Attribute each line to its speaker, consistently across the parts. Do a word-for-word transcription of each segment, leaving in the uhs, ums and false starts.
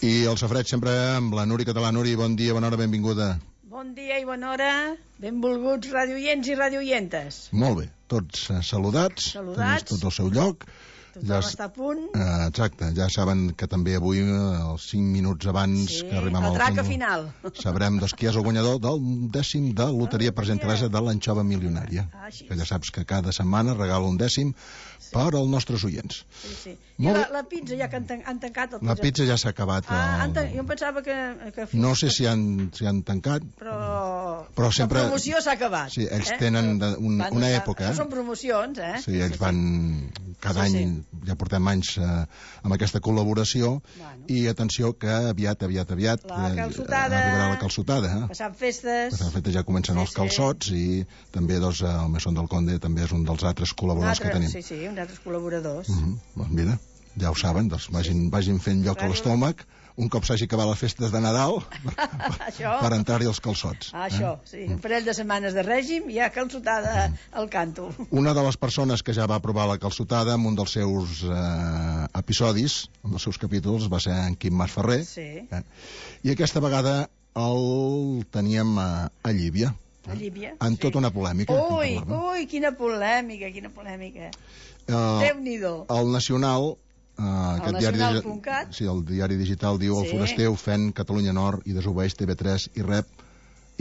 Speaker 1: I el safareig sempre amb la Núria Català. Núria, bon dia, bona hora, benvinguda.
Speaker 2: Bon dia i bona hora, benvolguts radioients i radioientes.
Speaker 1: Molt bé, tots uh, saludats,
Speaker 2: Saludats.
Speaker 1: tots al seu lloc.
Speaker 2: Tothom ja està a punt.
Speaker 1: Uh, exacte, ja saben que també avui, uh, els cinc minuts abans
Speaker 2: sí,
Speaker 1: que arribem al
Speaker 2: traca final.
Speaker 1: Sabrem doncs, qui és el guanyador del dècim de Loteria per gentilesa de l'anxova milionària.
Speaker 2: Ah,
Speaker 1: que ja saps que cada setmana regala un dècim sí. per als nostres oients.
Speaker 2: Sí, sí. I la, la pizza ja que han, tan, han tancat el
Speaker 1: La pizza ja s'ha acabat.
Speaker 2: Ah,
Speaker 1: el...
Speaker 2: tan... Jo em pensava que... que
Speaker 1: no sé si han, si han tancat,
Speaker 2: però,
Speaker 1: però sempre...
Speaker 2: la promoció s'ha acabat.
Speaker 1: Sí, ells
Speaker 2: eh?
Speaker 1: tenen de, un,
Speaker 2: van,
Speaker 1: una època.
Speaker 2: Eh? Són promocions, eh?
Speaker 1: Sí, ells sí, van cada sí, any, sí. ja portem anys eh, amb aquesta col·laboració, bueno. I atenció que aviat, aviat, aviat
Speaker 2: la calçotada,
Speaker 1: eh, arribarà la calçotada. Eh?
Speaker 2: Passant festes.
Speaker 1: Passant festes ja comencen sí, els calçots sí. I també doncs, el Mesón del Conde també és un dels altres col·laboradors
Speaker 2: altre,
Speaker 1: que tenim.
Speaker 2: Sí, sí, un altres col·laboradors.
Speaker 1: Mm -hmm. Doncs mira, ja ho saben, doncs vagin, vagin fent lloc a l'estómac un cop s'hagi acabat les festes de Nadal per entrar-hi els calçots.
Speaker 2: Això, eh? Sí, un parell de setmanes de règim i ja calçotada al canto.
Speaker 1: Una de les persones que ja va provar la calçotada en un dels seus eh, episodis, un dels seus capítols, va ser en Quim Masferrer.
Speaker 2: Sí.
Speaker 1: Eh? I aquesta vegada el teníem a, a Llívia.
Speaker 2: A Llívia,
Speaker 1: en
Speaker 2: sí.
Speaker 1: tota una polèmica.
Speaker 2: Ui, ui, quina polèmica, quina polèmica.
Speaker 1: Uh,
Speaker 2: Déu-n'hi-do.
Speaker 1: El Nacional... Uh,
Speaker 2: el nacional punt cat.
Speaker 1: Sí, el diari digital diu sí. El foraster ofèn Catalunya Nord i desobeeix T V tres i rep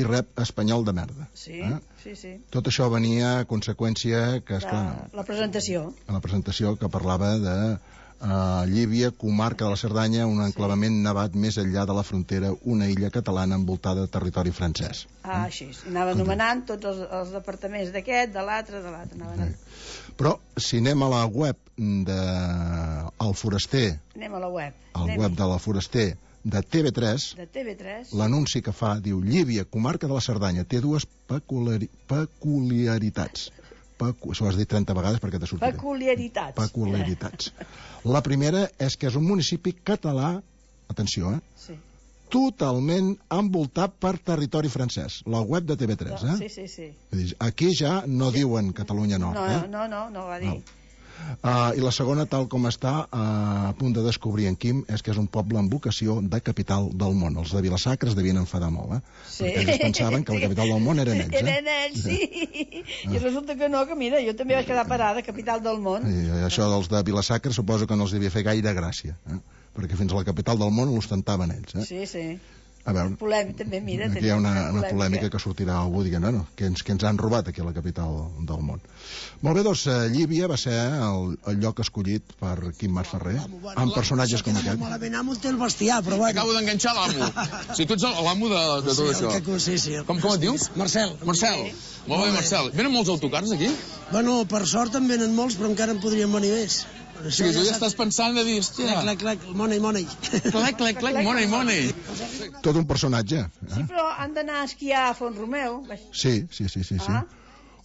Speaker 1: i rep espanyol de merda.
Speaker 2: Sí,
Speaker 1: eh?
Speaker 2: sí, sí.
Speaker 1: Tot això venia a conseqüència que, esclar,
Speaker 2: la, la presentació.
Speaker 1: La presentació que parlava de uh, Llívia, comarca de la Cerdanya, un enclavament sí. nevat més enllà de la frontera, una illa catalana envoltada de territori francès.
Speaker 2: Ah, eh? Així. Anava anomenant tots els, els departaments d'aquest, de l'altre, de l'altre. Anaven...
Speaker 1: Però si anem a la web de El Foraster,
Speaker 2: anem a la web,
Speaker 1: al
Speaker 2: anem
Speaker 1: web de la Foraster de T V tres,
Speaker 2: de T V tres,
Speaker 1: l'anunci que fa diu Llívia, comarca de la Cerdanya, té dues peculiari... peculiaritats. Pecu... Això ho has dit trenta vegades perquè te sortiré.
Speaker 2: Peculiaritats.
Speaker 1: Peculiaritats. La primera és que és un municipi català, atenció, eh?
Speaker 2: Sí.
Speaker 1: Totalment envoltat per territori francès. La web de T V tres, eh?
Speaker 2: Sí, sí, sí.
Speaker 1: Aquí ja no sí. diuen Catalunya Nord,
Speaker 2: no,
Speaker 1: eh?
Speaker 2: No, no, no va dir. No.
Speaker 1: Uh, I la segona, tal com està uh, a punt de descobrir en Quim, és que és un poble amb vocació de capital del món. Els de Vilasacra es devien enfadar molt, eh?
Speaker 2: Sí.
Speaker 1: Perquè ells pensaven que la capital del món eren ells, eh?
Speaker 2: Eren ells, sí. sí. I resulta que no, que mira, jo també vaig quedar parada, capital del món.
Speaker 1: I això dels de Vilasacra suposo que no els devia fer gaire gràcia, eh? Perquè fins a la capital del món l'ostentaven ells, eh?
Speaker 2: Sí, sí.
Speaker 1: A veure,
Speaker 2: polèmica, també, mira,
Speaker 1: aquí hi ha una, una polèmica que sortirà algú dient, no, no, que ens, que ens han robat aquí a la capital del món. Molt bé, doncs, Llívia va ser el, el lloc escollit per Quim Masferrer, amb personatges com aquest.
Speaker 3: Malament amo té el bestiar, però bueno.
Speaker 4: Acabo d'enganxar l'amo. O sigui, tu ets l'amo de, de tot
Speaker 3: sí,
Speaker 4: això.
Speaker 3: Que, sí, sí.
Speaker 4: Com, com et dius?
Speaker 3: Marcel.
Speaker 4: Marcel. Molt bé, Marcel. Venen molts autocars aquí?
Speaker 3: Bueno, per sort en venen molts, però encara en podrien venir més.
Speaker 4: O sigui, tu ja estàs pensant de dir, hòstia...
Speaker 3: Clac, clac, clac, money, money.
Speaker 4: Clac, clac, clac, money, money.
Speaker 1: Tot un personatge. Eh?
Speaker 2: Sí, però han d'anar a esquiar a Font Romeu.
Speaker 1: Sí, sí, sí, sí. sí.
Speaker 2: Ah.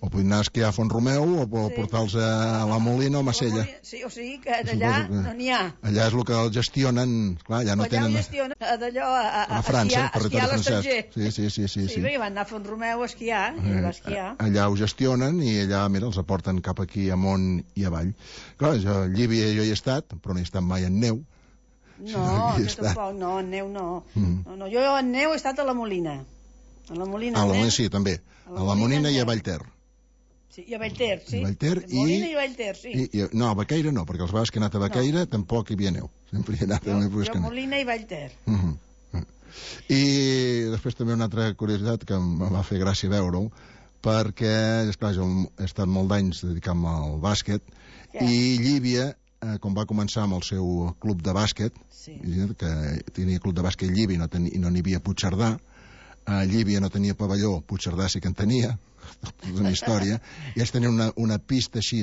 Speaker 1: O podem anar a esquiar a Font Romeu o sí. portar-los a la Molina o a Macella.
Speaker 2: Sí, o sigui que d'allà no n'hi ha.
Speaker 1: Allà és el que el gestionen, clar, allà no
Speaker 2: allà
Speaker 1: tenen...
Speaker 2: Allà ho gestionen d'allò a, a,
Speaker 1: a França,
Speaker 2: a esquiar a l'estranger.
Speaker 1: Sí, sí, sí. Sí,
Speaker 2: sí, sí. sí van anar a Font Romeu a esquiar, i va esquiar.
Speaker 1: Allà ho gestionen i allà, mira, els aporten cap aquí amunt i avall. Clar, jo, a Llívia jo hi he estat, però no he estat mai en neu.
Speaker 2: No, jo tampoc, no, en neu no. Mm. no, no. Jo en neu he estat a la Molina. A la Molina,
Speaker 1: a la Molina sí, també. A la, a la Molina i a Vallter.
Speaker 2: Sí, i a Vallter, sí.
Speaker 1: I Vallter i...
Speaker 2: Molina i Vallter, sí.
Speaker 1: I, i, no, a Baqueira no, perquè els vegades que he anat a Baqueira no. tampoc hi havia neu. Sempre hi he anat
Speaker 2: jo,
Speaker 1: a
Speaker 2: jo Molina i Vallter.
Speaker 1: Uh -huh. I després també una altra curiositat que em va fer gràcia veure-ho, perquè, esclar, jo he estat molt d'anys dedicant-me al bàsquet, yeah. i Llívia, eh, com va començar amb el seu club de bàsquet, sí. que tenia club de bàsquet Llívia i no n'hi no havia Puigcerdà, a Llívia no tenia pavelló, Puigcerdà sí que en tenia, és una història, i ells tenien una, una pista així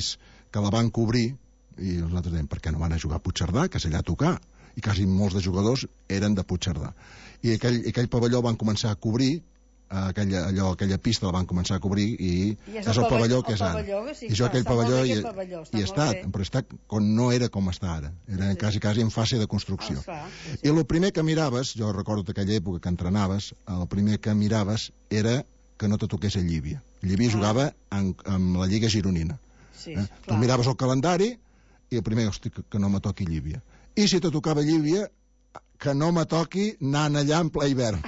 Speaker 1: que la van cobrir, i nosaltres dèiem, per què no van a jugar a Puigcerdà, que és allà a tocar? I quasi molts de jugadors eren de Puigcerdà. I aquell, aquell pavelló van començar a cobrir, aquella, allò, aquella pista la van començar a cobrir i,
Speaker 2: I és
Speaker 1: el,
Speaker 2: el
Speaker 1: pavelló que és ara.
Speaker 2: Sí,
Speaker 1: I jo aquell pavelló hi,
Speaker 2: pavelló,
Speaker 1: hi he estat, bé. Però he estat com no era com està ara. Era sí. quasi, quasi en fase de construcció.
Speaker 2: Oh, fa, sí, sí.
Speaker 1: I el primer que miraves, jo recordo d'aquella època que entrenaves, el primer que miraves era que no te toqués a Llívia. Llívia ah. jugava en, en la Lliga Gironina.
Speaker 2: Sí,
Speaker 1: eh? Tu miraves el calendari i el primer, hosti, que, que no me toqui Llívia. I si te tocava Llívia, que no me toqui anant allà en ple hivern.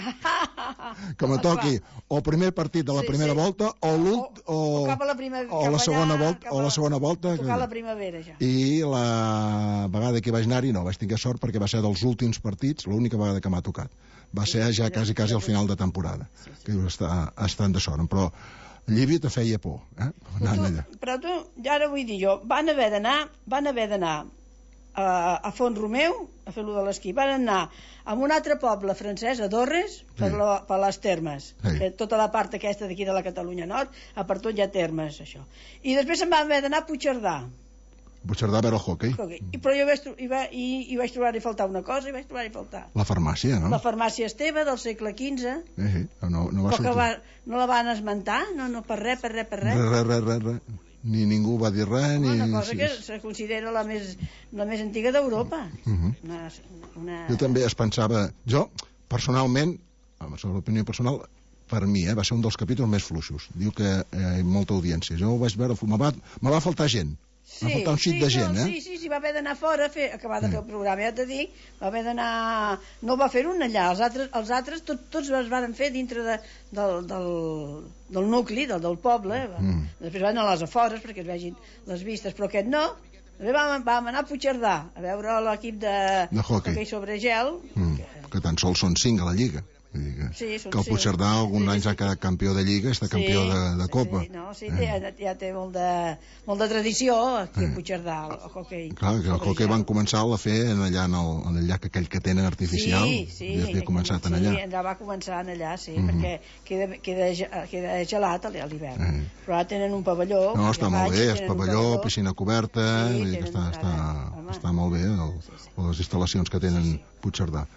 Speaker 1: Que me toqui o el primer partit de la
Speaker 2: Sí,
Speaker 1: primera
Speaker 2: sí.
Speaker 1: volta o l'ult o,
Speaker 2: o cap a la primavera,
Speaker 1: o
Speaker 2: cap
Speaker 1: la segona
Speaker 2: allà,
Speaker 1: volta
Speaker 2: cap
Speaker 1: o
Speaker 2: a-
Speaker 1: la segona volta
Speaker 2: tocar la primavera, ja.
Speaker 1: i la vegada que vaig anar-hi no vaig tenir sort perquè va ser dels últims partits l'única vegada que m'ha tocat va ser ja quasi quasi al final de temporada que dius, està, estan de sort però Llívia te feia por eh?
Speaker 2: Però tu, però tu, ja ara vull dir jo, van haver d'anar, van haver d'anar a, a Font Romeu a fer-lo de l'esquí, van anar a un altre poble francès, a Dorres, per,
Speaker 1: Sí.
Speaker 2: la, per les termes,
Speaker 1: Sí.
Speaker 2: que tota la part aquesta d'aquí de la Catalunya Nord, a per tot hi ha termes, això. I després se'n van haver d'anar a Puigcerdà.
Speaker 1: Puigcerdà a veure el hockey
Speaker 2: I, però jo vaig, tro- i, va, i, i vaig trobar-hi faltar una cosa, i vaig trobar-hi faltar.
Speaker 1: la farmàcia, no?
Speaker 2: La farmàcia Esteve, del segle quinze,
Speaker 1: Eh, eh, no, no va
Speaker 2: però que
Speaker 1: sortir
Speaker 2: va, no la van esmentar, no, no, per res, per res, per res.
Speaker 1: res, res, res, res, res. Ni ningú va dir res ni...
Speaker 2: Una cosa
Speaker 1: sí.
Speaker 2: que se considera la més, la més antiga d'Europa.
Speaker 1: Mhm.
Speaker 2: Una, una...
Speaker 1: Jo també es pensava... Jo, personalment, amb la opinió personal, per mi, eh, va ser un dels capítols més fluixos. Diu que eh, molta audiència. Jo ho vaig veure... Me va, me va faltar gent.
Speaker 2: Sí,
Speaker 1: va faltar un xic
Speaker 2: sí,
Speaker 1: de gent,
Speaker 2: no,
Speaker 1: eh?
Speaker 2: sí, sí, sí, va haver d'anar fora a fer, acabar de
Speaker 1: Mm.
Speaker 2: fer el programa, ja t'he dit, va haver d'anar... No va fer un allà, els altres, els altres tot, tots es van fer dintre de, del, del, del nucli, del, del poble,
Speaker 1: Mm.
Speaker 2: després van a les afores perquè es vegin les vistes, però aquest no. També vam, vam anar a Puigcerdà a veure l'equip de,
Speaker 1: De hoquei.
Speaker 2: hoquei sobre gel,
Speaker 1: Mm. Que tan sols són cinc a la Lliga. Vull dir que,
Speaker 2: Sí, són
Speaker 1: que el
Speaker 2: cinc.
Speaker 1: Puigcerdà alguns
Speaker 2: Sí,
Speaker 1: anys
Speaker 2: sí.
Speaker 1: ha quedat campió de Lliga, està campió de, de Copa.
Speaker 2: Sí, no, sí,
Speaker 1: Eh.
Speaker 2: té, ja té molt de, molt de tradició aquí a
Speaker 1: Eh.
Speaker 2: Puigcerdà, el hoquei.
Speaker 1: Clar, que el
Speaker 2: sobre
Speaker 1: hoquei
Speaker 2: gel.
Speaker 1: van començar a fer en allà en el, en el llac aquell que tenen artificial.
Speaker 2: Sí, sí.
Speaker 1: I havia començat en
Speaker 2: sí,
Speaker 1: allà.
Speaker 2: allà va començar en allà, sí,
Speaker 1: Mhm.
Speaker 2: perquè queda, queda, ge- queda gelat a l'hivern.
Speaker 1: Eh.
Speaker 2: Però ara tenen un pavelló.
Speaker 1: No,
Speaker 2: ja
Speaker 1: està
Speaker 2: vaig,
Speaker 1: molt bé, és
Speaker 2: tenen un
Speaker 1: pavelló, piscina coberta,
Speaker 2: Sí,
Speaker 1: vull dir que
Speaker 2: tenen
Speaker 1: està,
Speaker 2: una
Speaker 1: està,
Speaker 2: cara, home.
Speaker 1: està molt bé el,
Speaker 2: Sí, sí.
Speaker 1: les instal·lacions que tenen
Speaker 2: Sí, sí.
Speaker 1: Puigcerdà.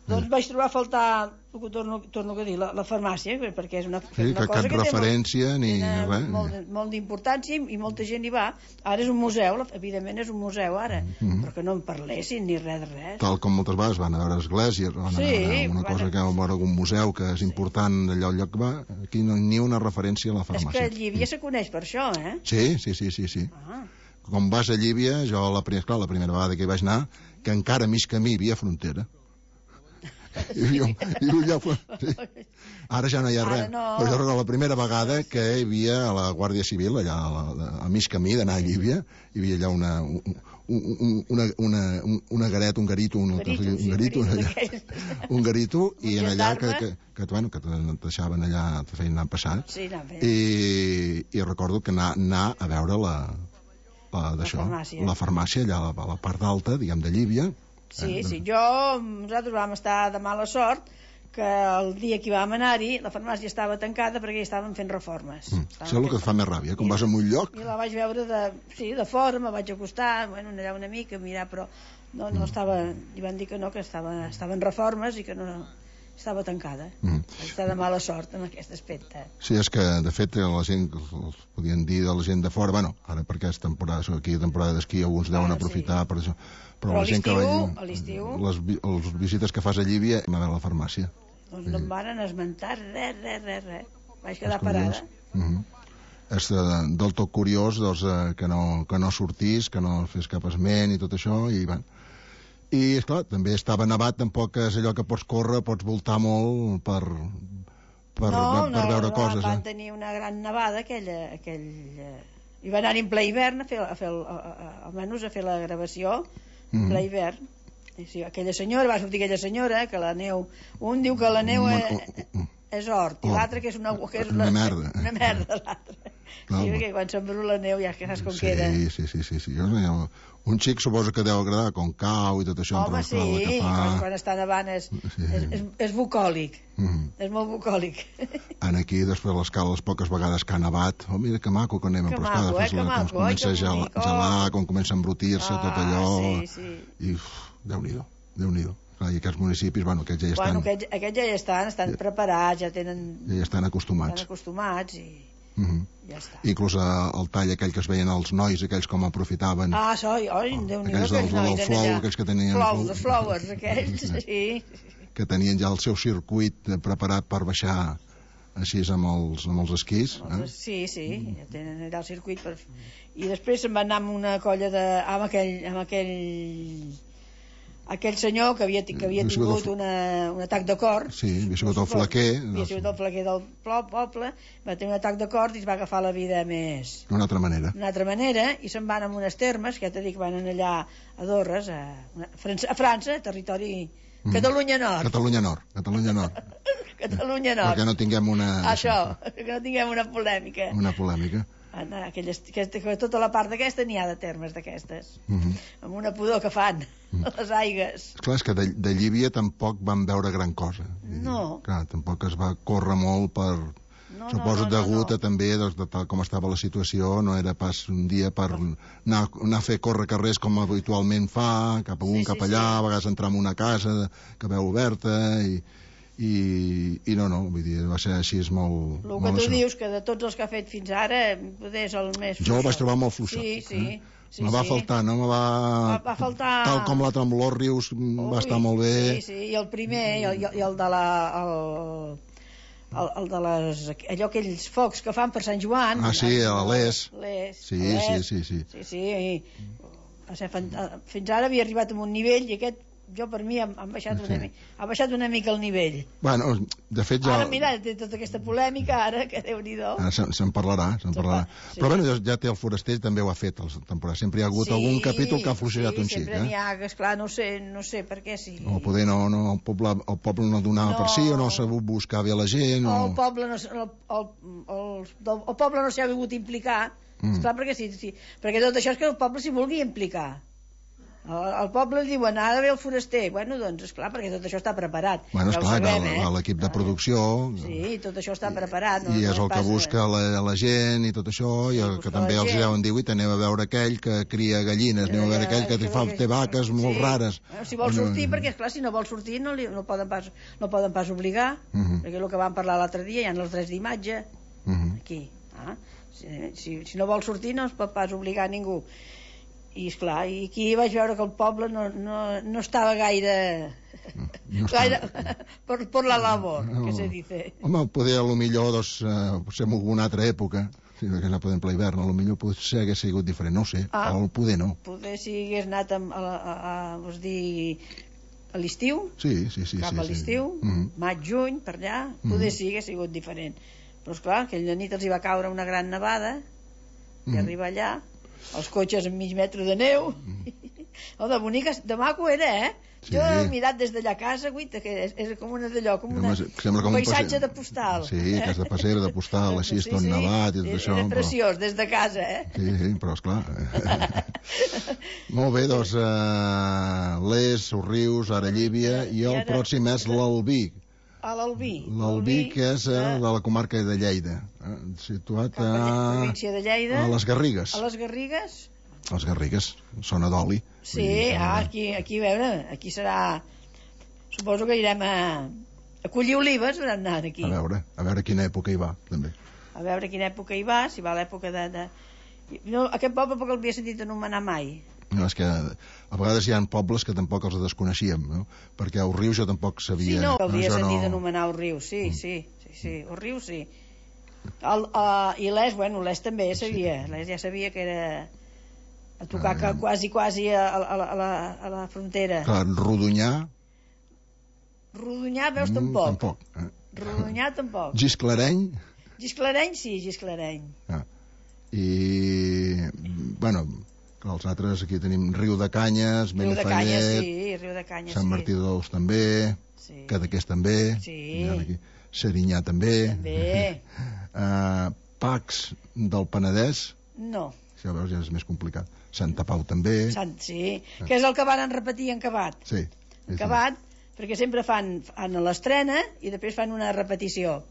Speaker 2: Doncs vaig trobar a faltar, el que torno, torno a dir, la, la farmàcia, perquè és una,
Speaker 1: Sí,
Speaker 2: és una
Speaker 1: que
Speaker 2: cosa
Speaker 1: cap
Speaker 2: que té
Speaker 1: referència
Speaker 2: molt,
Speaker 1: ni
Speaker 2: té
Speaker 1: res.
Speaker 2: molt, molt d'importància i molta gent hi va. Ara és un museu, la- evidentment és un museu ara,
Speaker 1: Mhm.
Speaker 2: però que no en parlessin ni res de res.
Speaker 1: Tal com moltes vegades van a veure esglésies, van a
Speaker 2: Sí,
Speaker 1: veure una
Speaker 2: van a-
Speaker 1: cosa que van a veure algun museu que és important allà al lloc que va, aquí no, ni una referència a la
Speaker 2: És
Speaker 1: farmàcia.
Speaker 2: que Llívia se coneix per això, eh?
Speaker 1: Sí, sí, sí, sí, sí.
Speaker 2: Ah,
Speaker 1: Com vas a Llívia, jo la, pri- clar, la primera vegada que hi vaig anar, que encara a mig camí hi havia frontera. I jo, i jo, sí. Ara ja no hi ha
Speaker 2: Ara
Speaker 1: res.
Speaker 2: no.
Speaker 1: Però jo recordo la primera vegada que hi havia a la Guàrdia Civil, allà a, la, a mig camí d'anar a Llívia, hi havia allà una, un, un, una, una, un, una garet, un garito, un,
Speaker 2: Garito,
Speaker 1: un,
Speaker 2: sí,
Speaker 1: garito,
Speaker 2: un garito
Speaker 1: allà,
Speaker 2: d'aquells.
Speaker 1: un garito, i
Speaker 2: Un
Speaker 1: en allà que,
Speaker 2: gendarme.
Speaker 1: que, que, bueno, que te deixaven allà, te feien anar passant,
Speaker 2: sí, no, bé.
Speaker 1: i, i recordo que anar, anar a veure la, la, d'això,
Speaker 2: farmàcia.
Speaker 1: la farmàcia allà a la, a la part alta, diguem, de Llívia.
Speaker 2: Sí,
Speaker 1: Eh,
Speaker 2: sí, jo, nosaltres vam estar de mala sort que el dia que hi vam anar-hi la farmàcia estava tancada perquè hi estaven fent reformes.
Speaker 1: Mm.
Speaker 2: Estaven
Speaker 1: Això és el que
Speaker 2: fent-
Speaker 1: et fa més ràbia, quan
Speaker 2: I-
Speaker 1: vas a un lloc,
Speaker 2: I la vaig veure de, sí, de fora, me vaig acostar, bueno, allà una mica, mirar, però no, no estava, li van dir que no, que estava, estava en reformes i que no estava tancada.
Speaker 1: Mm.
Speaker 2: Vaig estar de mala sort en aquest aspecte.
Speaker 1: sí, és que, de fet, la gent, els podien dir de la gent de fora, bueno, ara perquè és temporada, aquí temporada d'esquí, alguns deuen
Speaker 2: Ah,
Speaker 1: aprofitar per això, però,
Speaker 2: Però
Speaker 1: la gent que
Speaker 2: a
Speaker 1: va
Speaker 2: l'estiu- a l'estiu-
Speaker 1: les, vi- les visites que fas a Llívia, a veure la farmàcia.
Speaker 2: Doncs no em varen esmentar res, res, res, res. Vaig quedar
Speaker 1: És curiós.
Speaker 2: parada.
Speaker 1: Mm -hmm. És eh, del tot curiós doncs, eh, que, no, que no sortís, que no fes cap esment i tot això, i van. I, esclar, també estava nevat, tampoc és allò que pots córrer, pots voltar molt per, per,
Speaker 2: no,
Speaker 1: per
Speaker 2: no,
Speaker 1: veure
Speaker 2: no,
Speaker 1: coses.
Speaker 2: van
Speaker 1: Eh?
Speaker 2: tenir una gran nevada aquella, aquell, eh, i van anar en ple hivern a fer, a fer el, a, a, almenys a fer la gravació en
Speaker 1: Mhm.
Speaker 2: ple hivern. I sí, aquella senyora, va sortir aquella senyora que la neu, un diu que la neu
Speaker 1: Un-
Speaker 2: és,
Speaker 1: un- un-
Speaker 2: és hort i
Speaker 1: Hort.
Speaker 2: l'altre que és una, que és
Speaker 1: Una merda.
Speaker 2: una merda l'altre.
Speaker 1: Clar,
Speaker 2: Sí,
Speaker 1: home.
Speaker 2: perquè quan s'embrú la neu ja que saps com
Speaker 1: sí,
Speaker 2: queda.
Speaker 1: sí, sí, sí, sí. Jo, no, un xic suposo que deu agradar com cau i tot això,
Speaker 2: Home,
Speaker 1: però
Speaker 2: sí,
Speaker 1: clar, el que fa...
Speaker 2: quan, quan està nevant és,
Speaker 1: Sí.
Speaker 2: és, és, és bucòlic,
Speaker 1: Mm.
Speaker 2: és molt bucòlic.
Speaker 1: En aquí, després l'escala, les poques vegades que ha nevat, oh, mira que maco que anem,
Speaker 2: Que
Speaker 1: però esclar,
Speaker 2: maco,
Speaker 1: després
Speaker 2: eh, que
Speaker 1: la- quan
Speaker 2: maco,
Speaker 1: comença
Speaker 2: ai,
Speaker 1: a
Speaker 2: que
Speaker 1: gel,
Speaker 2: bonic, oh.
Speaker 1: gelar, quan comença a embrutir-se, tot allò...
Speaker 2: sí, sí.
Speaker 1: I, uf, Déu-n'hi-do, Déu-n'hi-do. Clar, i aquests municipis, bueno, aquests ja hi estan,
Speaker 2: Bueno, aquests, aquests ja hi estan, estan
Speaker 1: Ja.
Speaker 2: preparats, ja tenen,
Speaker 1: ja hi estan
Speaker 2: estan
Speaker 1: acostumats.
Speaker 2: acostumats i
Speaker 1: Mm -hmm.
Speaker 2: ja està.
Speaker 1: Inclús eh, el tall aquell que es veien els nois, aquells com aprofitaven,
Speaker 2: Ah, soi, oi, Déu-n'hi-do,
Speaker 1: aquells del,
Speaker 2: aquells nois
Speaker 1: del
Speaker 2: en
Speaker 1: flow,
Speaker 2: allà.
Speaker 1: aquells que tenien...
Speaker 2: Flous, els flowers, aquells, sí.
Speaker 1: que tenien ja el seu circuit eh, preparat per baixar així amb els, amb els esquís. Eh?
Speaker 2: Sí, sí, ja tenen allà el circuit per... I després se'n va anar amb una colla de... amb aquell... amb aquell... aquell senyor que havia, que havia tingut una, un atac de cor.
Speaker 1: Sí, havia sigut el flaquer.
Speaker 2: Havia sigut el flaquer del poble, va tenir un atac de cor i es va agafar la vida més...
Speaker 1: D'una altra manera.
Speaker 2: D'una altra manera, i se'n van amb unes termes, que ja t'he dit que van allà a Dorres, a, a França, territori... Mm. Catalunya Nord.
Speaker 1: Catalunya Nord, Catalunya Nord.
Speaker 2: Catalunya Nord.
Speaker 1: Perquè no tinguem una...
Speaker 2: Això, que no tinguem una polèmica.
Speaker 1: Una polèmica.
Speaker 2: Aquelles, que, que tota la part d'aquesta n'hi ha de termes d'aquestes,
Speaker 1: uh -huh.
Speaker 2: amb una pudor que fan, uh -huh. les aigues.
Speaker 1: Clar, és que de, de Llívia tampoc van veure gran cosa.
Speaker 2: No.
Speaker 1: Clar, tampoc es va córrer molt per...
Speaker 2: No,
Speaker 1: Suposo
Speaker 2: no, no,
Speaker 1: degut
Speaker 2: no, no.
Speaker 1: a també doncs, de tal com estava la situació, no era pas un dia per anar, anar a fer córrer carrers com habitualment fa, cap amunt,
Speaker 2: sí,
Speaker 1: cap
Speaker 2: sí,
Speaker 1: allà,
Speaker 2: sí.
Speaker 1: a vegades entrar en una casa que veu oberta i... I, i no, no, vull dir, va ser així, és molt...
Speaker 2: El que
Speaker 1: molt
Speaker 2: tu
Speaker 1: això.
Speaker 2: dius, que de tots els que ha fet fins ara, poder és el més fluixot.
Speaker 1: Jo el vaig trobar molt fluixot.
Speaker 2: Sí, sí.
Speaker 1: Eh?
Speaker 2: sí
Speaker 1: me va
Speaker 2: sí.
Speaker 1: faltar, no me va...
Speaker 2: Va, va faltar...
Speaker 1: Tal com la Tremolor Rius
Speaker 2: Ui,
Speaker 1: va estar molt bé.
Speaker 2: Sí, sí, i el primer, i el, i el de la... El... El, el de les, allò aquells focs que fan per Sant Joan.
Speaker 1: Ah, sí, a l'Es.
Speaker 2: L'Es.
Speaker 1: Sí, sí, sí, sí.
Speaker 2: Sí, sí, i, va ser fant... fins ara havia arribat a un nivell i aquest, jo per mi, han baixat,
Speaker 1: sí.
Speaker 2: una, mi... ha baixat una mica el nivell.
Speaker 1: Bueno, de fet ja...
Speaker 2: Ara, mira, té tota aquesta polèmica, ara, que Déu-n'hi-do.
Speaker 1: Ara se'n se parlarà, se'n parlarà. Sí. Però bueno, ja, ja té el Foraster, també ho ha fet, la temporada. Sempre hi ha hagut
Speaker 2: sí,
Speaker 1: algun capítol que ha fluixejat
Speaker 2: sí,
Speaker 1: un xic.
Speaker 2: sempre
Speaker 1: eh?
Speaker 2: n'hi ha, que esclar, no sé, no sé per què, sí.
Speaker 1: O poder no, no, el, poble, el poble no donava
Speaker 2: No.
Speaker 1: per si, o no ha sabut buscar bé la gent, o...
Speaker 2: O el poble no, el, el, el, el poble no s'hi ha volgut implicar,
Speaker 1: Mm.
Speaker 2: esclar, perquè, sí, sí, perquè tot això és que el poble s'hi vulgui implicar. El, el poble diuen, ha d'haver el foraster. Bueno, doncs, esclar, perquè tot això està preparat.
Speaker 1: Bueno,
Speaker 2: ja ho
Speaker 1: esclar,
Speaker 2: sabem,
Speaker 1: que
Speaker 2: eh?
Speaker 1: l'equip de producció...
Speaker 2: Sí, tot això està preparat. No,
Speaker 1: I és
Speaker 2: no
Speaker 1: el que
Speaker 2: passa...
Speaker 1: busca la, la gent i tot això,
Speaker 2: Sí,
Speaker 1: i el
Speaker 2: busca
Speaker 1: que també
Speaker 2: la
Speaker 1: els
Speaker 2: gent.
Speaker 1: deuen dir, ui, anem a veure aquell que cria gallines, anem a veure aquell que
Speaker 2: Això
Speaker 1: fa,
Speaker 2: que-
Speaker 1: té vaques molt
Speaker 2: sí.
Speaker 1: rares.
Speaker 2: Bueno, si vol sortir, perquè, esclar, si no vol sortir no, li, no, poden, pas, no poden pas obligar,
Speaker 1: Uh -huh.
Speaker 2: perquè el que vam parlar l'altre dia, hi ha els drets d'imatge,
Speaker 1: Uh -huh.
Speaker 2: aquí. Ah? Si, si, si no vol sortir no es pot pas obligar a ningú. I esclar, i aquí vaig veure que el poble no, no, no estava gaire...
Speaker 1: No està-
Speaker 2: gaire por, por la labor,
Speaker 1: No.
Speaker 2: que se dice.
Speaker 1: Home, poder a lo millor, doncs, eh, potser en alguna altra època, si no hagués anat per exemple a hivern, a lo millor potser hagués sigut diferent, no ho sé,
Speaker 2: Ah.
Speaker 1: o poder no.
Speaker 2: Poder si hagués anat a, a, a, a, vols dir, a l'estiu,
Speaker 1: Sí, sí, sí.
Speaker 2: cap
Speaker 1: sí,
Speaker 2: a
Speaker 1: sí.
Speaker 2: l'estiu,
Speaker 1: Mm -hmm.
Speaker 2: maig, juny, per allà, poder sí hagués sigut diferent. Però esclar, aquella nit els hi va caure una gran nevada, i
Speaker 1: Mhm.
Speaker 2: arribar allà, els cotxes amb mig metre de neu, oh, de boniques, de maco era, eh?
Speaker 1: Sí.
Speaker 2: Jo he mirat des d'allà a casa, guita, que és, és com una d'allò, com una,
Speaker 1: Home, sembla com
Speaker 2: un
Speaker 1: un
Speaker 2: paisatge
Speaker 1: passe-
Speaker 2: de postal.
Speaker 1: Sí, casa de passera, de postal, així,
Speaker 2: Sí,
Speaker 1: tot
Speaker 2: sí.
Speaker 1: nevat i tot
Speaker 2: Era-
Speaker 1: això.
Speaker 2: Era
Speaker 1: però-
Speaker 2: preciós, des de casa, eh?
Speaker 1: Sí, sí, però esclar. Molt bé, doncs, uh, Les, Sorrius, ara Llívia, i el
Speaker 2: I ara-
Speaker 1: pròxim és l'Albí.
Speaker 2: A l'Albí.
Speaker 1: L'Albí, que és uh,
Speaker 2: de-
Speaker 1: de la comarca de Lleida, eh, situat
Speaker 2: cap a la
Speaker 1: a,
Speaker 2: província de Lleida,
Speaker 1: a les Garrigues.
Speaker 2: a les Garrigues.
Speaker 1: Les Garrigues, zona d'oli.
Speaker 2: Sí,
Speaker 1: Vull dir,
Speaker 2: ah, aquí, aquí, a veure, aquí serà... Suposo que irem a, a collir olives, haurem anat aquí.
Speaker 1: A veure, a veure quina època hi va, també.
Speaker 2: A veure quina època hi va, si va a l'època de... de... No, aquest poble tampoc l'havia sentit anomenar mai.
Speaker 1: No, és que a vegades hi ha pobles que tampoc els desconeixíem, no? Perquè a Rius jo tampoc sabia...
Speaker 2: Sí, no, l'havia
Speaker 1: jo
Speaker 2: sentit anomenar el riu, sí,
Speaker 1: Mm.
Speaker 2: sí, sí, sí, el riu sí. El, uh, I l'Es, bueno, l'Es també sabia, l'Es ja sabia que era a tocar
Speaker 1: Ah,
Speaker 2: que quasi, quasi a, a, a, la, a, la, a la frontera.
Speaker 1: Clar, Rodonyà...
Speaker 2: Rodonyà, veus,
Speaker 1: mm,
Speaker 2: tampoc.
Speaker 1: Tampoc. Eh?
Speaker 2: Rodonyà, tampoc.
Speaker 1: Gisclareny...
Speaker 2: Gisclareny, sí, Gisclareny.
Speaker 1: Ah. I, bueno, que els altres aquí tenim Riu de Canyes,
Speaker 2: Riu de Canyes,
Speaker 1: Benifallet,
Speaker 2: sí, Riu de Canyes,
Speaker 1: Sant
Speaker 2: sí.
Speaker 1: Martí de Tous també,
Speaker 2: Sí.
Speaker 1: Cadaqués també,
Speaker 2: Sí.
Speaker 1: hi ha aquí, Serinyà també,
Speaker 2: També.
Speaker 1: uh, Pacs del Penedès,
Speaker 2: No,
Speaker 1: si ja veus ja és més complicat, Santa Pau també,
Speaker 2: Sant, sí, que és el que van repetir en Cabat.
Speaker 1: sí,
Speaker 2: En Cabat, perquè sempre fan, fan l'estrena i després fan una repetició.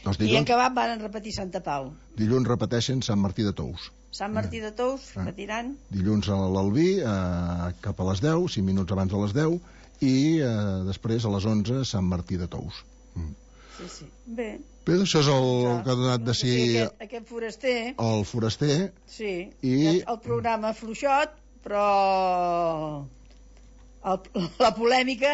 Speaker 1: els
Speaker 2: I en
Speaker 1: dilluns,
Speaker 2: Cabat van repetir Santa Pau.
Speaker 1: dilluns repeteixen Sant Martí de Tous,
Speaker 2: Sant Martí de Tous,
Speaker 1: Ah.
Speaker 2: repetiran.
Speaker 1: dilluns a l'Albí, eh, cap a les deu, cinc minuts abans de les deu, i eh, després a les onze Sant Martí de Tous. Mm.
Speaker 2: Sí, sí. Bé.
Speaker 1: Bé, això és el que ha donat de si
Speaker 2: Aquest, aquest foraster,
Speaker 1: el foraster,
Speaker 2: sí,
Speaker 1: I-
Speaker 2: el programa fluixot, però el, la polèmica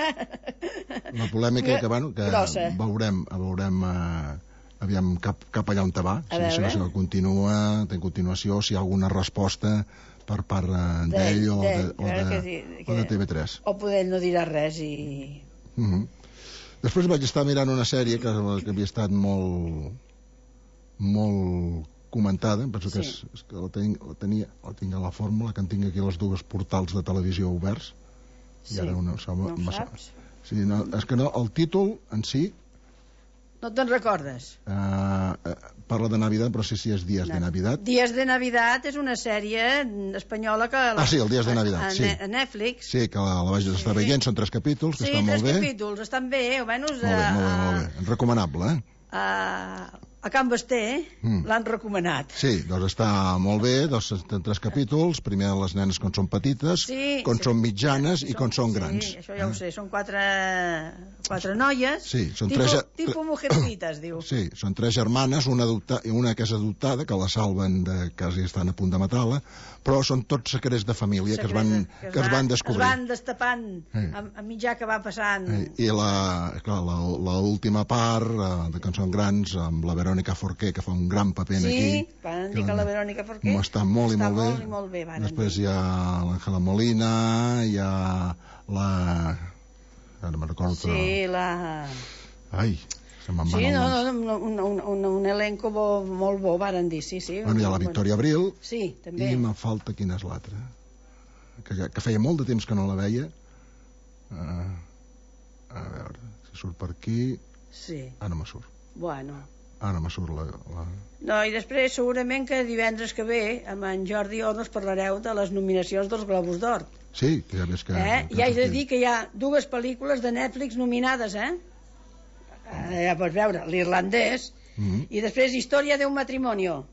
Speaker 1: la polèmica que, bueno, que
Speaker 2: grossa.
Speaker 1: veurem, veurem eh, aviam, cap, cap allà on te va,
Speaker 2: A
Speaker 1: si, si
Speaker 2: veure.
Speaker 1: no se continua, té continuació, si hi ha alguna resposta per part eh, d'ell o, de,
Speaker 2: d'ell,
Speaker 1: o,
Speaker 2: a veure
Speaker 1: de,
Speaker 2: què di-
Speaker 1: o de
Speaker 2: què-
Speaker 1: T V tres.
Speaker 2: O poder ell no dirà res i...
Speaker 1: Mhm. Després vaig estar mirant una sèrie que, que havia estat molt molt comentada, em penso que,
Speaker 2: Sí.
Speaker 1: és, és que la, ten, la tenia la tinc a la fórmula, que en tinc aquí les dues portals de televisió oberts i
Speaker 2: Sí.
Speaker 1: ara una,
Speaker 2: No ho saps?
Speaker 1: sí, no, és que no, el títol en si
Speaker 2: No te'n recordes?
Speaker 1: eh, eh, parla de Navidad, però sí si és Días de Navidad.
Speaker 2: Días de Navidad és una sèrie espanyola que...
Speaker 1: Ah, sí, el Días de Navidad,
Speaker 2: a, a,
Speaker 1: sí.
Speaker 2: A Netflix.
Speaker 1: Sí, que la, la vaig estar veient, són tres capítols, que
Speaker 2: Sí,
Speaker 1: estan
Speaker 2: tres
Speaker 1: molt bé.
Speaker 2: capítols, estan bé, almenys...
Speaker 1: Molt bé, molt bé,
Speaker 2: a,
Speaker 1: molt bé. Recomanable, eh?
Speaker 2: A, a Can Basté
Speaker 1: Mm.
Speaker 2: l'han recomanat.
Speaker 1: Sí, doncs està molt bé, doncs en tres capítols, primer les nenes quan són petites,
Speaker 2: Sí,
Speaker 1: quan
Speaker 2: sí.
Speaker 1: són mitjanes i quan són grans.
Speaker 2: Sí, això ja ho sé, són quatre, quatre noies.
Speaker 1: Sí, són
Speaker 2: tipo,
Speaker 1: tres-
Speaker 2: Tipo Mujercitas, diu.
Speaker 1: Sí, són tres germanes, una, adopta, una que és adoptada, que la salven de quasi estan a punt de matar-la, però són tots secrets de família que es van,
Speaker 2: Secrets,
Speaker 1: que es van descobrir.
Speaker 2: Es van destapant
Speaker 1: Sí.
Speaker 2: a, a mitjà que va passant.
Speaker 1: Eh, I la, clar, la, la última part, eh, de que són grans, amb la Verònica Forqué, que fa un gran paper
Speaker 2: Sí,
Speaker 1: aquí.
Speaker 2: van dir que la Verònica Forqué
Speaker 1: Està molt i
Speaker 2: està
Speaker 1: molt bé.
Speaker 2: molt i molt bé, van
Speaker 1: Després
Speaker 2: dir.
Speaker 1: hi ha l'Àngela Molina, hi ha la... Ara me'n recordo.
Speaker 2: Sí, la...
Speaker 1: Ai, se me'n van
Speaker 2: Sí,
Speaker 1: els
Speaker 2: no,
Speaker 1: noms.
Speaker 2: no, no, un, un, un, un elenco bo, molt bo, varen dir, sí, sí.
Speaker 1: Bueno, hi ha la Victòria Abril,
Speaker 2: Sí, també.
Speaker 1: i me falta quina és l'altra. Que, ja- que feia molt de temps que no la veia. Uh, a veure, si surt per aquí...
Speaker 2: Sí,
Speaker 1: Ara me surt.
Speaker 2: bueno.
Speaker 1: Ara me surt la... la...
Speaker 2: No, i després segurament que divendres que ve amb en Jordi Ornos parlareu de les nominacions dels Globus d'Or.
Speaker 1: Sí, que ja ves que...
Speaker 2: Eh?
Speaker 1: que
Speaker 2: I haig de
Speaker 1: sortim.
Speaker 2: dir que hi ha dues pel·lícules de Netflix nominades, eh? eh ja pots veure, l'irlandès,
Speaker 1: Mhm.
Speaker 2: i després Història d'un matrimonio.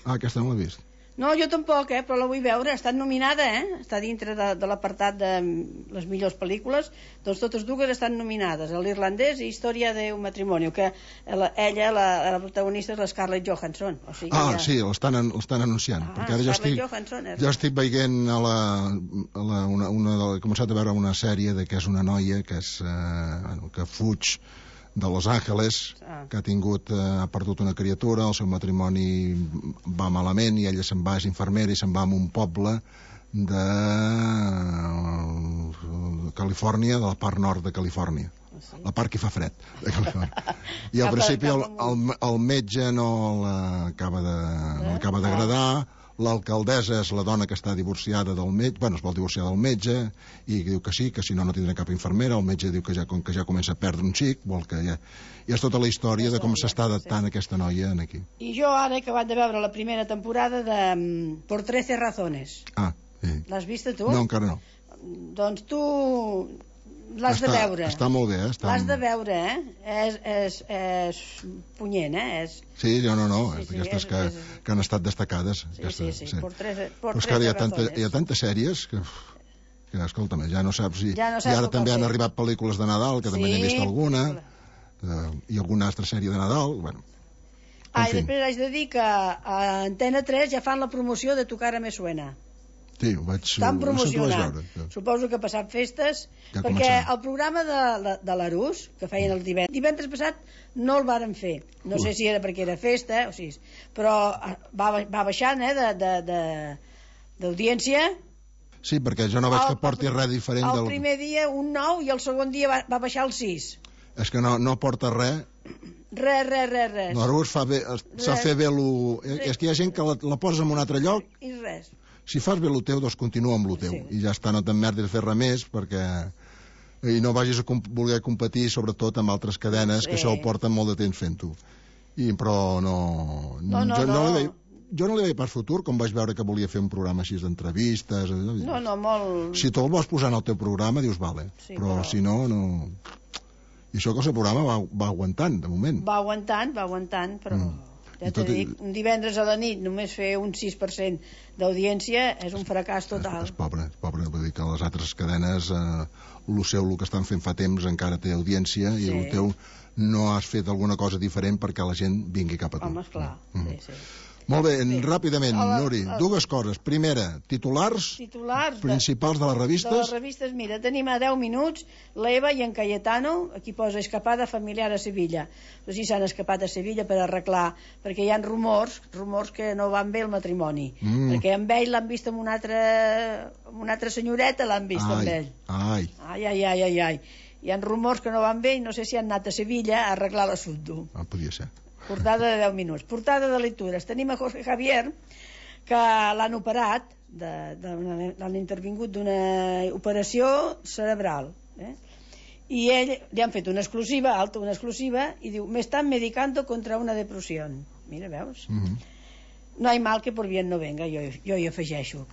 Speaker 1: Ah, aquesta no l'he vist.
Speaker 2: No, jo tampoc, eh, però la vull veure, està nominada, eh? Està dintre de, de l'apartat de mm, les millors pel·lícules, doncs totes dues estan nominades, l'irlandès i Història d'un matrimonio, que la, ella, la, la protagonista és la Scarlett Johansson. O sigui,
Speaker 1: Ah,
Speaker 2: ja...
Speaker 1: sí, l'estan an- l'estan anunciant.
Speaker 2: Ah,
Speaker 1: perquè ara jo
Speaker 2: Scarlett
Speaker 1: estic,
Speaker 2: Johansson, eh?
Speaker 1: jo estic veient a la, a la, una, una de, he començat a veure una sèrie de que és una noia que, és, eh, bueno, que fuig de Los Angeles,
Speaker 2: Ah.
Speaker 1: que ha tingut, eh, ha perdut una criatura, el seu matrimoni va malament i ella se'n va, és infermera i se'n va a un poble de eh, Califòrnia, de la part nord de Califòrnia.
Speaker 2: Sí.
Speaker 1: La part que fa fred de Califòrnia. I al
Speaker 2: Cap a-
Speaker 1: principi el,
Speaker 2: cap amunt.
Speaker 1: el, el metge no l'acaba de, no l'acaba d'agradar, l'alcaldessa és la dona que està divorciada del metge, bueno, es vol divorciar del metge, i diu que sí, que si no, no tindrà cap infermera, el metge diu que ja, com que ja comença a perdre un xic, vol que ja... I és tota la història de com s'està adaptant aquesta noia en aquí.
Speaker 2: I jo ara he acabat de veure la primera temporada de mm, Por trece razones.
Speaker 1: Ah, sí.
Speaker 2: L'has vista tu?
Speaker 1: No, encara no.
Speaker 2: Doncs tu l'has de
Speaker 1: Està-
Speaker 2: veure.
Speaker 1: Està molt bé, eh? Està...
Speaker 2: L'has de veure, eh? És, és, és punyent, eh? És...
Speaker 1: Sí, no, no, no,
Speaker 2: Sí,
Speaker 1: és
Speaker 2: sí,
Speaker 1: d'aquestes
Speaker 2: és-
Speaker 1: que,
Speaker 2: és-
Speaker 1: que han estat destacades.
Speaker 2: Sí,
Speaker 1: aquestes,
Speaker 2: sí, sí, por trece, por
Speaker 1: Però és que ara hi ha,
Speaker 2: trece
Speaker 1: tanta,
Speaker 2: razones.
Speaker 1: hi ha tantes sèries que, uf, que escolta'm, ja no saps si...
Speaker 2: Ja no saps
Speaker 1: I ara
Speaker 2: el que
Speaker 1: també han
Speaker 2: fer.
Speaker 1: arribat pel·lícules de Nadal, que també n'he
Speaker 2: Sí.
Speaker 1: vist alguna, eh, i alguna altra sèrie de Nadal, bueno.
Speaker 2: Ah,
Speaker 1: En
Speaker 2: i
Speaker 1: fi.
Speaker 2: després haig de dir que a Antena tres ja fan la promoció de Tu cara me suena.
Speaker 1: Sí, ho vaig...
Speaker 2: Estan
Speaker 1: no sé si ho vaig
Speaker 2: promocionant.
Speaker 1: veure.
Speaker 2: Suposo que ha passat festes,
Speaker 1: Ja
Speaker 2: perquè
Speaker 1: començarà.
Speaker 2: el programa de, la- de l'Arús, que feien el divendres, divendres passat, no el varen fer. No
Speaker 1: Ui.
Speaker 2: sé si era perquè era festa, o sigui, però eh, va, va baixant, eh, de, de, de, d'audiència.
Speaker 1: Sí, perquè jo no veig
Speaker 2: El-
Speaker 1: que porti res diferent
Speaker 2: El
Speaker 1: del...
Speaker 2: primer dia un nou i el segon dia va, va baixar el sis.
Speaker 1: És que no, no porta res.
Speaker 2: Res, res, res, res.
Speaker 1: L'Arús fa bé, s'ha
Speaker 2: Res.
Speaker 1: fer bé lo... És que hi ha gent que la, la posa en un altre lloc.
Speaker 2: I res.
Speaker 1: Si fas bé el teu, doncs continua amb el teu.
Speaker 2: Sí.
Speaker 1: I ja està, no t'emmerdis a fer res més, perquè... I no vagis a comp voler competir, sobretot, amb altres cadenes,
Speaker 2: Sí.
Speaker 1: que això ho porten molt de temps fent-ho. I, però no...
Speaker 2: No, no,
Speaker 1: jo,
Speaker 2: no.
Speaker 1: li veia, jo no li veia per futur, com vaig veure que volia fer un programa així d'entrevistes...
Speaker 2: No, no, molt...
Speaker 1: Si tu el vols posar en el teu programa, dius, vale.
Speaker 2: Sí,
Speaker 1: però,
Speaker 2: però-
Speaker 1: si no, no... I això que el seu programa va, va aguantant, de moment.
Speaker 2: Va aguantant, va aguantant, però...
Speaker 1: Mm.
Speaker 2: Ja
Speaker 1: I
Speaker 2: t'he
Speaker 1: tot i-
Speaker 2: dit, un divendres a la nit només fer un sis per cent d'audiència és un fracàs total.
Speaker 1: És, és pobre, és pobre. Vull dir que les altres cadenes, eh, el seu, el que estan fent fa temps, encara té audiència,
Speaker 2: Sí.
Speaker 1: i el teu no has fet alguna cosa diferent perquè la gent vingui cap a tu.
Speaker 2: Home, esclar,
Speaker 1: Mm.
Speaker 2: sí, sí.
Speaker 1: Molt bé,
Speaker 2: Bé.
Speaker 1: ràpidament,
Speaker 2: A la-
Speaker 1: Nuri,
Speaker 2: a-
Speaker 1: dues coses. Primera, titulars
Speaker 2: Titulars de,
Speaker 1: principals de les
Speaker 2: de les
Speaker 1: revistes.
Speaker 2: revistes. Mira, tenim a deu minuts l'Eva i en Cayetano, aquí posa escapada familiar a Sevilla. No sé si s'han escapat a Sevilla per arreglar, perquè hi ha rumors, rumors que no van bé el matrimoni.
Speaker 1: Mm.
Speaker 2: Perquè amb ell l'han vist amb una altra, amb una altra senyoreta, l'han vist amb
Speaker 1: Ai,
Speaker 2: ell.
Speaker 1: ai,
Speaker 2: Ai, ai, ai, ai, ai. Hi ha rumors que no van bé i no sé si han anat a Sevilla a arreglar l'assumpte.
Speaker 1: ah, podia ser.
Speaker 2: Portada de deu minuts. Portada de lectures. Tenim a Jorge Javier, que l'han operat, de, de, l'han intervingut d'una operació cerebral. Eh? I ell li han fet una exclusiva, alta, una exclusiva, i diu, me están medicando contra una depresión. Mira, veus?
Speaker 1: Mm -hmm.
Speaker 2: No hay mal que por bien no venga, jo, jo hi afegeixo.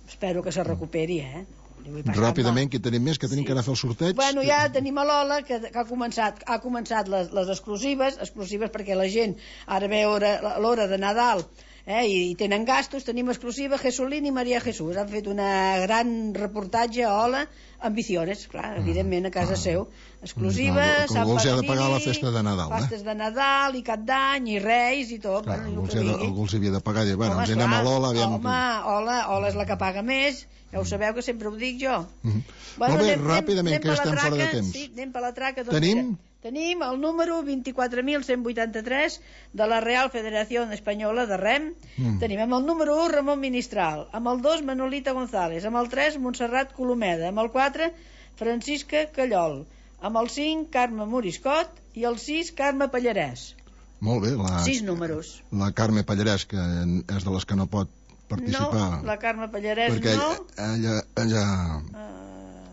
Speaker 2: Espero que se recuperi, eh? Li vull passar
Speaker 1: Ràpidament,
Speaker 2: mal.
Speaker 1: que tenim més, que tenim
Speaker 2: Sí.
Speaker 1: que anar a fer el sorteig.
Speaker 2: Bueno, ja tenim a l'Ola, que, que ha començat, ha començat les, les exclusives, exclusives perquè la gent ara ve hora- l'hora de Nadal, eh, i, i tenen gastos. Tenim exclusiva Jesulín i Maria Jesús. Han fet una gran reportatge a Ola, Ambiciones, clar, evidentment a casa
Speaker 1: ah.
Speaker 2: seu. Exclusiva,
Speaker 1: Clar, que
Speaker 2: Sant
Speaker 1: algú els ha de
Speaker 2: Valentí,
Speaker 1: pagar la festa de Nadal, eh?
Speaker 2: festes de Nadal i Cap d'Any i Reis i tot.
Speaker 1: Clar,
Speaker 2: bueno,
Speaker 1: algú,
Speaker 2: el
Speaker 1: els
Speaker 2: que
Speaker 1: ha de,
Speaker 2: vingui.
Speaker 1: algú els havia de pagar. I, bueno,
Speaker 2: Home,
Speaker 1: ens anem
Speaker 2: esclar.
Speaker 1: a l'Ola, aviam...
Speaker 2: Home, Ola, Ola és la que paga més. Ja ho sabeu, que sempre ho dic jo.
Speaker 1: Mm -hmm. Molt bé, ràpidament, que
Speaker 2: per la
Speaker 1: estem fora de
Speaker 2: traca.
Speaker 1: temps.
Speaker 2: Sí, anem per la traca. Doncs
Speaker 1: Tenim?
Speaker 2: mira, tenim el número vint-i-quatre mil cent vuitanta-tres de la Real Federació Espanyola de Rem.
Speaker 1: Mm.
Speaker 2: Tenim amb el número u Ramon Ministral, amb el dos Manolita González, amb el tres Montserrat Colomeda, amb el quatre Francisca Callol, amb el cinc Carme Moriscot i el sis Carme Pallarès.
Speaker 1: Molt bé, la,
Speaker 2: Sis números.
Speaker 1: la Carme Pallarès, que és de les que no pot participar.
Speaker 2: No, la Carme Pallarès
Speaker 1: perquè
Speaker 2: no.
Speaker 1: ella... ella...
Speaker 2: Uh,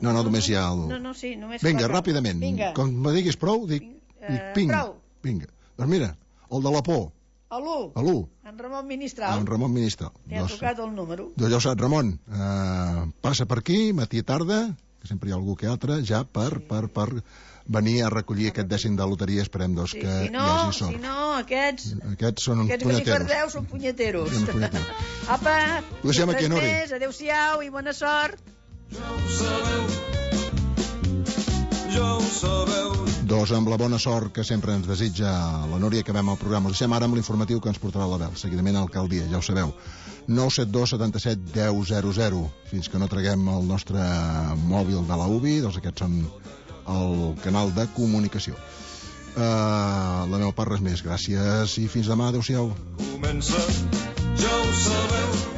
Speaker 1: No, no, només hi ha el...
Speaker 2: No, no, sí, només...
Speaker 1: Vinga,
Speaker 2: la-
Speaker 1: ràpidament.
Speaker 2: Vinga.
Speaker 1: Com me diguis prou, dic,
Speaker 2: Eh,
Speaker 1: dic ping.
Speaker 2: prou.
Speaker 1: Vinga. Doncs mira, el de la por,
Speaker 2: A l'u,
Speaker 1: a l'u,
Speaker 2: en Ramon Ministral.
Speaker 1: en Ramon Ministral.
Speaker 2: Li ha
Speaker 1: Doncs-
Speaker 2: tocat el número.
Speaker 1: doncs ja ho saps, Ramon, eh, passa per aquí, matí i tarda, que sempre hi ha algú que altre, ja per, sí. per, per venir a recollir aquest dècim de loteria. Esperem, doncs,
Speaker 2: Sí,
Speaker 1: que
Speaker 2: si no,
Speaker 1: hi hagi sort.
Speaker 2: si no, aquests...
Speaker 1: Aquests són uns
Speaker 2: Aquests que s'hi
Speaker 1: punyeteros.
Speaker 2: perdeu són punyeteros.
Speaker 1: Són punyeteros.
Speaker 2: Apa,
Speaker 1: Ho deixem aquí,
Speaker 2: res
Speaker 1: Nuri.
Speaker 2: més, adéu-siau i bona sort.
Speaker 5: Ja ho sabeu.
Speaker 1: Doncs amb la bona sort que sempre ens desitja la Núria, acabem el programa. Us deixem ara amb l'informatiu que ens portarà l'Abel. Seguidament a l'alcaldia, ja ho sabeu. nou set dos setanta set deu zero zero. Fins que no traguem el nostre mòbil de la U B I, doncs aquests són el canal de comunicació. Uh, la meva part res més. Gràcies i fins demà. Adéu-siau.
Speaker 5: Comença, ja ho sabeu.